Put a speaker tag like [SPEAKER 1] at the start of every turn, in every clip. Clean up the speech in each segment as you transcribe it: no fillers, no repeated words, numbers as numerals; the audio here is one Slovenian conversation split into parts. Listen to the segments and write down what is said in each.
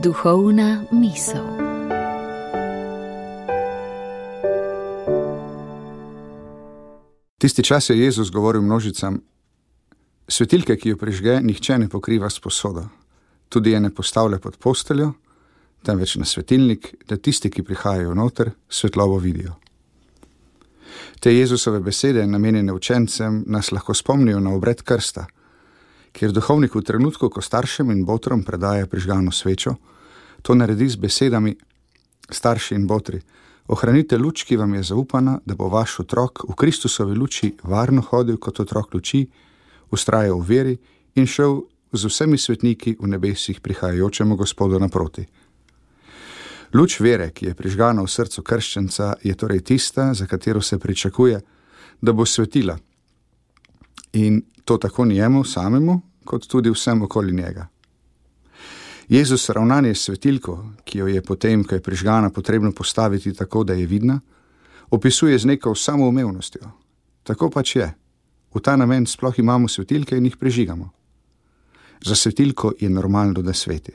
[SPEAKER 1] Duhovna misel.
[SPEAKER 2] Tisti čas je Jezus govoril množicam: svetilke, ki jo prižge, nihče ne pokriva s posodo, tudi je ne postavlja pod posteljo, temveč na svetilnik, da tisti, ki prihajajo noter, svetlobo vidijo. Te Jezusove besede, namenjene učencem, nas lahko spomnijo na obred krsta, kjer duhovnik v trenutku, ko staršem in botrom predaja prižgano svečo, to naredi z besedami: starši in botri, ohranite luč, ki vam je zaupana, da bo vaš otrok v Kristusovi luči varno hodil kot otrok luči, vztrajal v veri in šel z vsemi svetniki v nebesih prihajajočemu Gospodu naproti. Luč vere, ki je prižgana v srcu krščenca, je torej tista, za katero se pričakuje, da bo svetila. In to tako njemu samemu, kot tudi vsem okoli njega. Jezus ravnanje s svetilko, ki jo je potem, ko je prižgana, potrebno postaviti tako, da je vidna, opisuje z neko samoumevnostjo. Tako pač je. V ta namen sploh imamo svetilke in jih prižigamo. Za svetilko je normalno, da sveti.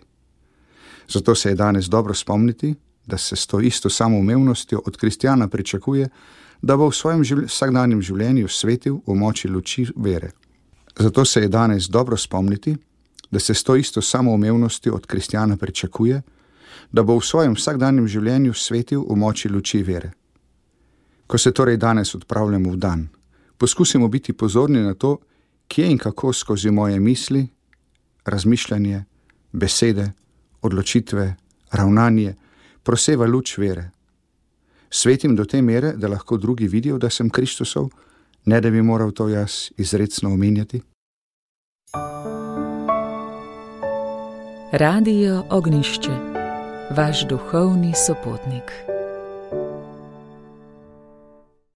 [SPEAKER 2] Zato se je danes dobro spomniti, da se s to isto samoumevnostjo od kristjana pričakuje, da bo v svojem vsakdanjem življenju svetil v moči luči vere. Zato se je danes dobro spomniti, da se s to isto samoumevnostjo od kristjana pričakuje, da bo v svojem vsakdanjem življenju svetil v moči luči vere. Ko se torej danes odpravljamo v dan, poskusimo biti pozorni na to, kje in kako skozi moje misli, razmišljanje, besede, odločitve, ravnanje proseva luč vere. Svetim do te mere, da lahko drugi vidijo, da sem Kristusov, ne da bi moral to jaz izrecno omenjati.
[SPEAKER 1] Radio Ognjišče, vaš duhovni sopotnik.